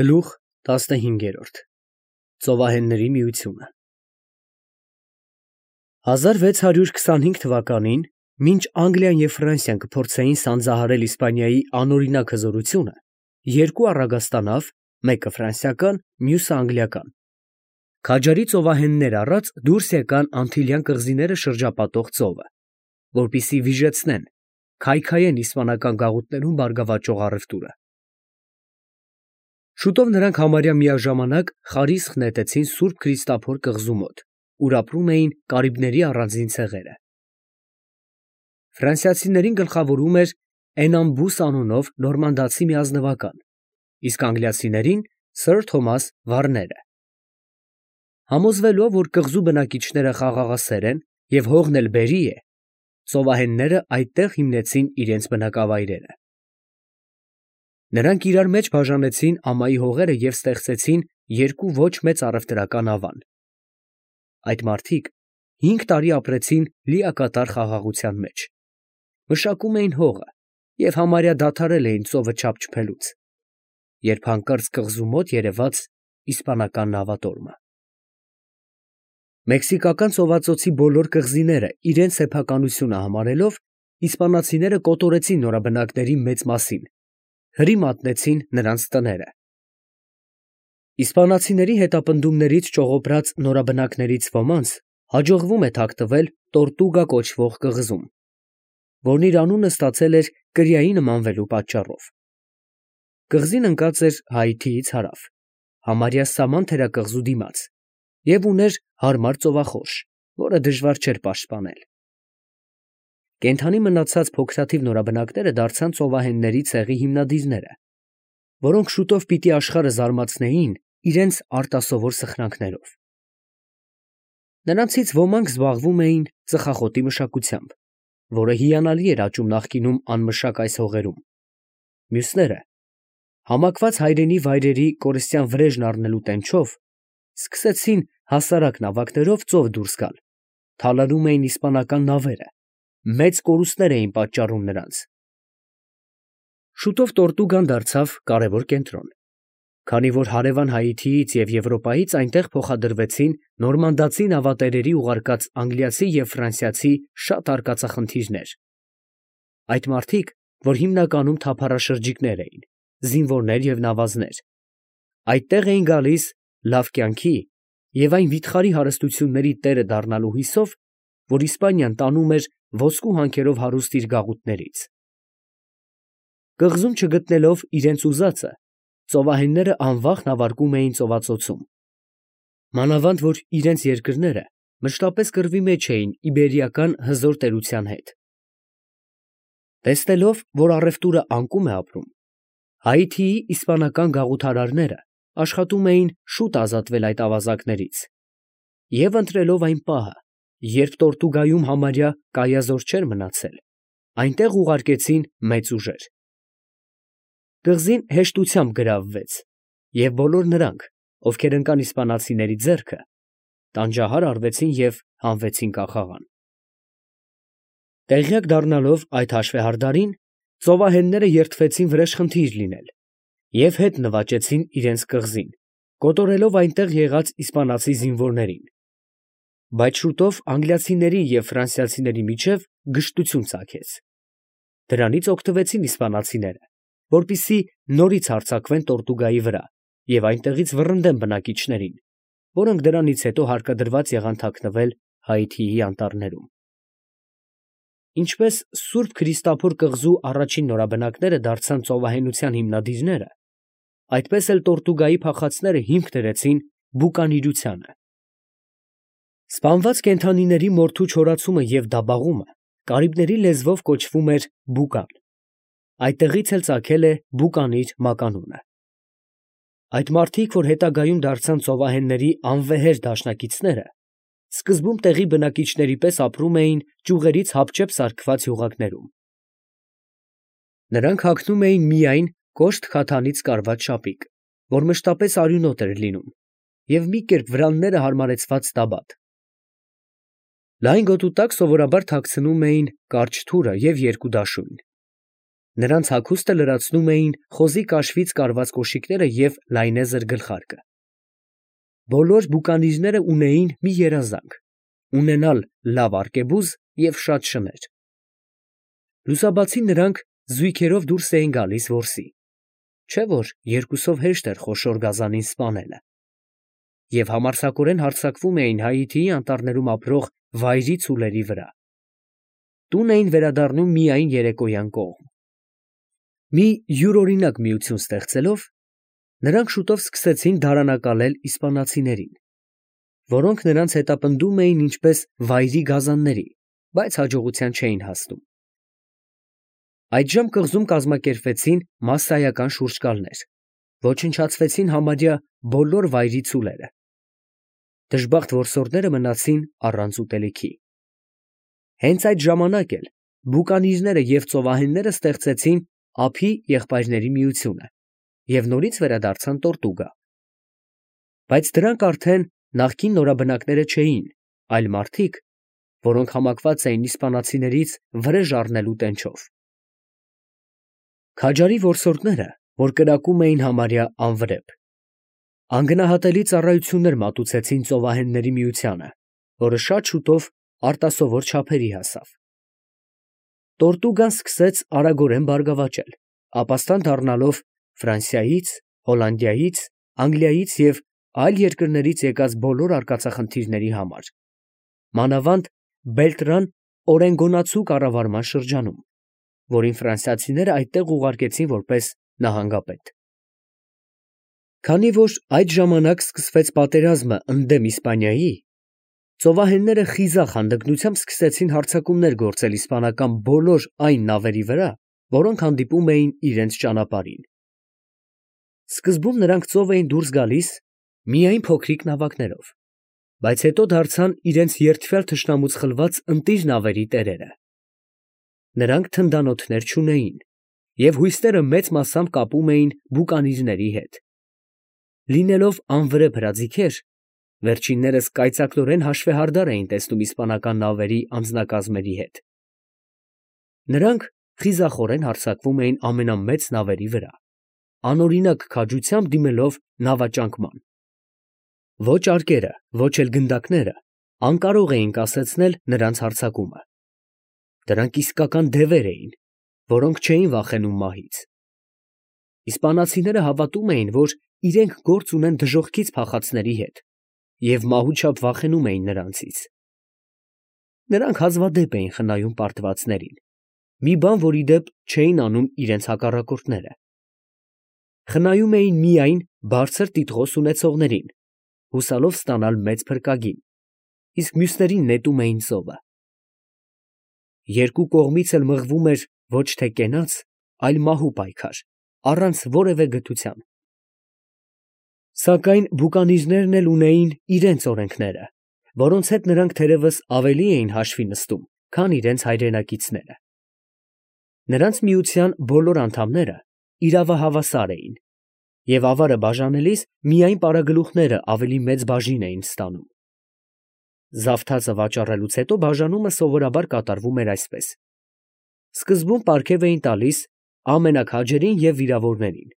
Գլուխ 15 Ծովահենների միությունը 1625 թվականին, մինչ Անգլիան և Ֆրանսիան կփորձեին սանձահարել Իսպանիայի անօրինակ հզորությունը, երկու առագաստանավ, մեկը ֆրանսիական, մյուսը անգլիական, քաջարի ծովահեններ առած դուրս եկան Անտիլյան կղզիները շրջապատող ծովը, որպեսզի վիժեցնեն, քայքայեն իսպանական գաղութներում բարգավաճող առևտուրը։ Շուտով նրանք համարյա միաժամանակ խարիսխ նետեցին Սուրբ Քրիստափոր կղզու մոտ, ուր ապրում էին կարիբների առանձին ցեղերը։ Ֆրանսիացիներին գլխավորում էր Էնամբուս անունով նորմանդացի մի ազնվական, իսկ անգլիացիներին Սըր Թոմաս Վարները։ Համոզվելով, որ կղզու բնակիչները խաղաղասեր են և հողն էլ բերի է, ծովահենները այդտեղ հիմնեցին իրենց բնակավայրերը։ Նրանք իրար մեջ բաժանեցին ամայի հողերը և ստեղծեցին երկու ոչ մեծ առևտրական ավան։ Այդ մարդիկ 5 տարի ապրեցին լիակատար խաղաղության մեջ, մշակում էին հողը և համարյա դադարել էին ծովը չափչփելուց, երբ հանկարծ կղզու մոտ երևաց իսպանական նավատորմը։ Մեքսիկական ծովածոցի բոլոր կղզիները իրենց սեփականությունը համարելով, իսպանացիները կոտորեցին նորաբնակների մեծ մասին, հրի մատնեցին նրանց տները։ Իսպանացիների հետապնդումներից ճողոպրած նորաբնակներից ոմանց հաջողվում է թաքնվել Տորտուգա կոչվող կղզում, որն իր անունը ստացել էր կրիայի նմանվելու պատճառով։ Կղզին ընկած էր Հայիթիից հարավ, համարյա Սաման թերակղզու դիմաց, և ուներ հարմար ծովախորշ, որը դժվար չէր պաշտպանել։ Կենդանի մնացած փոքրաթիվ նորաբնակները դարձան ծովահենների ցեղի հիմնադիրները, որոնք շուտով պիտի աշխարհը զարմացնեին իրենց արտասովոր սխրանքներով։ Նրանցից ոմանք զբաղվում էին ծխախոտի մշակությամբ, որը հիանալի էր աճում նախկինում անմշակ այս հողերում։ Մյուսները, համակված հայրենի վայրերի կորստյան վրեժն առնելու տենչով, սկսեցին հասարակ նավակներով ծով դուրս գալ, թալանում էին իսպանական նավերը, մեծ կորուստներ էին պատճառում նրանց։ Շուտով Տորտուգան դարձավ կարևոր կենտրոն, քանի որ հարևան Հայիթիից և Եվրոպայից այնտեղ փոխադրվեցին նորմանդացի նավատերերի ուղարկած անգլիացի և ֆրանսիացի շատ արկածախնդիրներ։ Այդ մարդիկ, որ հիմնականում թափառաշրջիկներ էին, զինվորներ և նավազներ, այդտեղ էին գալիս լավ կյանքի և այն վիթխարի հարստությունների տերը դառնալու հույսով, որ Իսպանիան տանում էր ոսկու հանքերով հարուստ իր գաղութներից։ Կղզում չգտնելով իրենց ուզածը, ծովահենները անվախ նավարկում էին ծովածոցում, մանավանդ որ իրենց երկրները մշտապես կռվի մեջ էին իբերիական հզոր տերության հետ։ Տեսնելով, որ առևտուրը անկում է ապրում, Հայիթիի իսպանական գաղութարարները աշխատում էին շուտ ազատվել այդ ավազակներից և ընտրելով այն պահը, երբ Տորտուգայում համարյա կայազոր չէր մնացել, այնտեղ ուղարկեցին մեծ ուժեր։ Կղզին հեշտությամբ գրավվեց, և բոլոր նրանք, ովքեր ընկան իսպանացիների ձեռքը, տանջահար արվեցին և հանվեցին կախաղան։ Տեղյակ դառնալով այդ հաշվեհարդարին, ծովահենները երդվեցին վրեժխնդիր լինել և հետ նվաճեցին իրենց կղզին, կոտորելով այնտեղ եղած իսպանացի զինվորներին։ Բայց շուտով անգլիացիների և ֆրանսիացիների միջև գժտություն ծագեց։ Դրանից օգտվեցին իսպանացիները, որպեսզի նորից հարձակվեն Տորտուգայի վրա և այնտեղից վռնդեն բնակիչներին, որոնք դրանից հետո հարկադրված եղան թաքնվել Հայիթիի անտառներում։ Ինչպես Սուրբ Քրիստափոր կղզու առաջին նորաբնակները դարձան ծովահենության հիմնադիրները, այդպես էլ Տորտուգայի փախածները հիմք դրեցին բուկանիրությանը։ Սպանված կենդանիների մորթու չորացումը և դաբաղումը կարիբների լեզվով կոչվում էր բուկան, այդտեղից էլ ծագել է բուկանիր մականունը։ Այդ մարդիկ, որ հետագայում դարձան ծովահենների անվեհեր դաշնակիցները, սկզբում տեղի բնակիչների պես ապրում էին ճյուղերից հապճեպ սարքված յուղակներում։ Նրանք հագնում էին միայն կոշտ քաթանից կարված շապիկ, որ մշտապես արյունոտ էր լինում, և մի կերպ վրանները հարմարեցված տաբատ։ Լայն գոտու տակ սովորաբար թաքցնում էին կարճ թուրը և երկու դաշույն։ Նրանց հագուստը լրացնում էին խոզի կաշվից կարված կոշիկները և լայնեզր գլխարկը։ Բոլոր բուկանիզները ունեին մի երազանք՝ ունենալ լավ արկեբուզ և շատ շներ։ Լուսաբացի նրանք զույգերով դուրս էին գալիս որսի, չէ՞ որ երկուսով հեշտ էր խոշոր գազանին սպանելը, և համարձակորեն հարձակվում էին Հայիթիի անտառներում ապրող վայրի ցուլերի վրա։ Տուն էին վերադառնում միայն երեկոյան կողմ։ Մի յուրօրինակ միություն ստեղծելով, նրանք շուտով սկսեցին դարանակալել իսպանացիներին, որոնք նրանց հետապնդում էին ինչպես վայրի գազանների, բայց հաջողության չէին հասնում։ Այդժամ կղզում կազմակերպվեցին մասսայական շուրջկալներ, ոչնչացվեցին համարյա բոլոր վայրի ցուլերը։ Դժբախտ որսորդները մնացին առանց ուտելիքի։ Հենց այդ ժամանակ էլ բուկանիզները և ծովահենները ստեղծեցին ափի եղբայրների միությունը և նորից վերադարձան Տորտուգա։ Բայց դրանք արդեն նախկին նորաբնակները չէին, այլ մարդիկ, որոնք համակված էին իսպանացիներից վրեժ առնելու տենչով։ Քաջարի որսորդները, որ կրակում էին համարյա անվրեպ, անգնահատելի ծառայություններ մատուցեցին ծովահենների միությանը, որը շատ շուտով արտասովոր չափերի հասավ։ Տորտուգան սկսեց արագորեն բարգավաճել, ապաստան դառնալով Ֆրանսիայից, Հոլանդիայից, Անգլիայից և այլ երկրներից եկած բոլոր արկածախնդիրների համար, մանավանդ Բելտրան Օրենգոնացու կառավարման շրջանում, որին ֆրանսիացիները այդտեղ ուղարկեցին որպես նահանգապետ։ Քանի որ այդ ժամանակ սկսվեց պատերազմը ընդդեմ Իսպանիայի, ծովահենները խիզախ հանդգնությամբ սկսեցին հարձակումներ գործել իսպանական բոլոր այն նավերի վրա, որոնք հանդիպում էին իրենց ճանապարհին։ Սկզբում նրանք ծով էին դուրս գալիս միայն փոքրիկ նավակներով, բայց հետո դարձան իրենց երդվյալ թշնամուց խլված ընտիր նավերի տերերը։ Նրանք թնդանոթներ չունեին, և հույսները մեծ մասամբ կապում էին բուկանիզների հետ։ Լինելով անվրեպ հրաձիգեր, վերջիններս կայծակնորեն հաշվեհարդար էին տեսնում իսպանական նավերի անձնակազմերի հետ։ Նրանք խիզախորեն հարձակվում էին ամենամեծ նավերի վրա, անօրինակ քաջությամբ դիմելով նավաճանկման։ Ոչ արկերը, ոչ էլ գնդակները անկարող էին կասեցնել նրանց հարձակումը։ Դրանք իսկական դևեր էին, որոնք չէին վախենում մահից։ Իսպանացիները հավատում էին, որ իրենք գործ ունեն դժոխքից փախածների հետ և մահու չափ վախենում էին նրանցից։ Նրանք հազվադեպ էին խնայում պարտվածներին, մի բան, որի դեպ չէին անում իրենց հակառակորդները։ Խնայում էին միայն բարձր տիտղոս ունեցողներին, հուսալով ստանալ մեծ փրկագին, իսկ մյուսներին նետում էին ծովը։ Երկու կողմից էլ մղվում էր ոչ թե կենաց, այլ մահու պայքար, առանց որևէ գթության։ Սակայն բուկանիզներն էլ ունեին իրենց օրենքները, որոնց հետ նրանք թերևս ավելի էին հաշվի նստում, քան իրենց հայրենակիցները։ Նրանց միության բոլոր անդամները իրավահավասար էին, և ավարը բաժանելիս միայն պարագլուխները ավելի մեծ բաժին էին ստանում։ Զավթածը վաճառելուց հետո բաժանումը սովորաբար կատարվում էր այսպես. սկզբում պարգև էին տալիս ամենաքաջերին և վիրավորներին։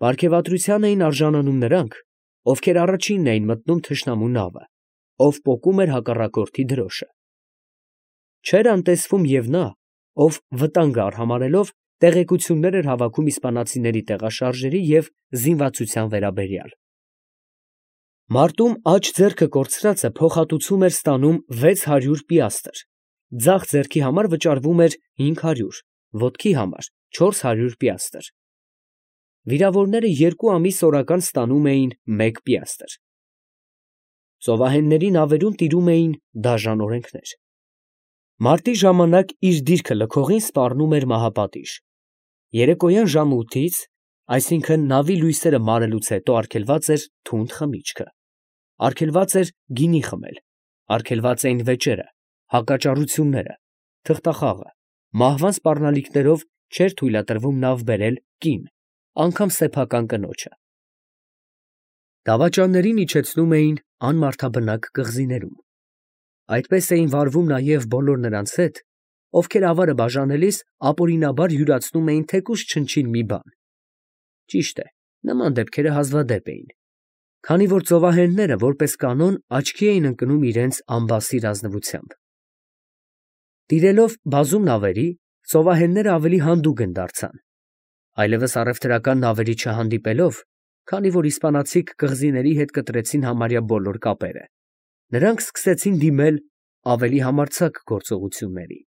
Պարգևատրության էին արժանանում նրանք, ովքեր առաջինն էին մտնում թշնամու նավը, ով պոկում էր հակառակորդի դրոշը։ Չէր անտեսվում և նա, ով վտանգը արհամարհելով տեղեկություններ էր հավաքում իսպանացիների տեղաշարժերի և զինվածության վերաբերյալ։ Մարտում աջ ձեռքը կորցրածը փոխհատուցում էր ստանում 600 պիաստր, ձախ ձեռքի համար վճարվում էր 500, ոտքի համար 400 պիաստր։ Վիրավորները 2 ամիս օրական ստանում էին 1 պիաստր։ Ծովահենների նավերում տիրում էին դաժան օրենքներ։ Մարտի ժամանակ իր դիրքը լքողին սպառնում էր մահապատիժ։ Երեկոյան ժամը 8-ից, այսինքն նավի լույսերը մարելուց հետո արգելված էր թունդ խմիչքը, արգելված էր գինի խմել, արգելված էին վեճերը, հակաճառությունները, թղթախաղը, մահվան սպառնալիքներով չէր թույլատրվում նավ բերել կին, անգամ սեփական կնոջը։ Դավաճաններին իջեցնում էին անմարդաբնակ կղզիներում։ Այդպես էին վարվում նաև բոլոր նրանց հետ, ովքեր ավարը բաժանելիս ապօրինաբար յուրացնում էին թեկուզ չնչին մի բան։ Ճիշտ է, նման դեպքերը հազվադեպ էին, քանի որ ծովահենները որպես կանոն աչքի էին ընկնում իրենց անբասիր ազնվությամբ։ Տիրելով բազում նավերի, ծովահենները ավելի հանդուգն դարձան, այլևս առևտրական նավերի չհանդիպելով, քանի որ իսպանացիք կղզիների հետ կտրեցին համարյա բոլոր կապերը, նրանք սկսեցին դիմել ավելի համարձակ գործողությունների։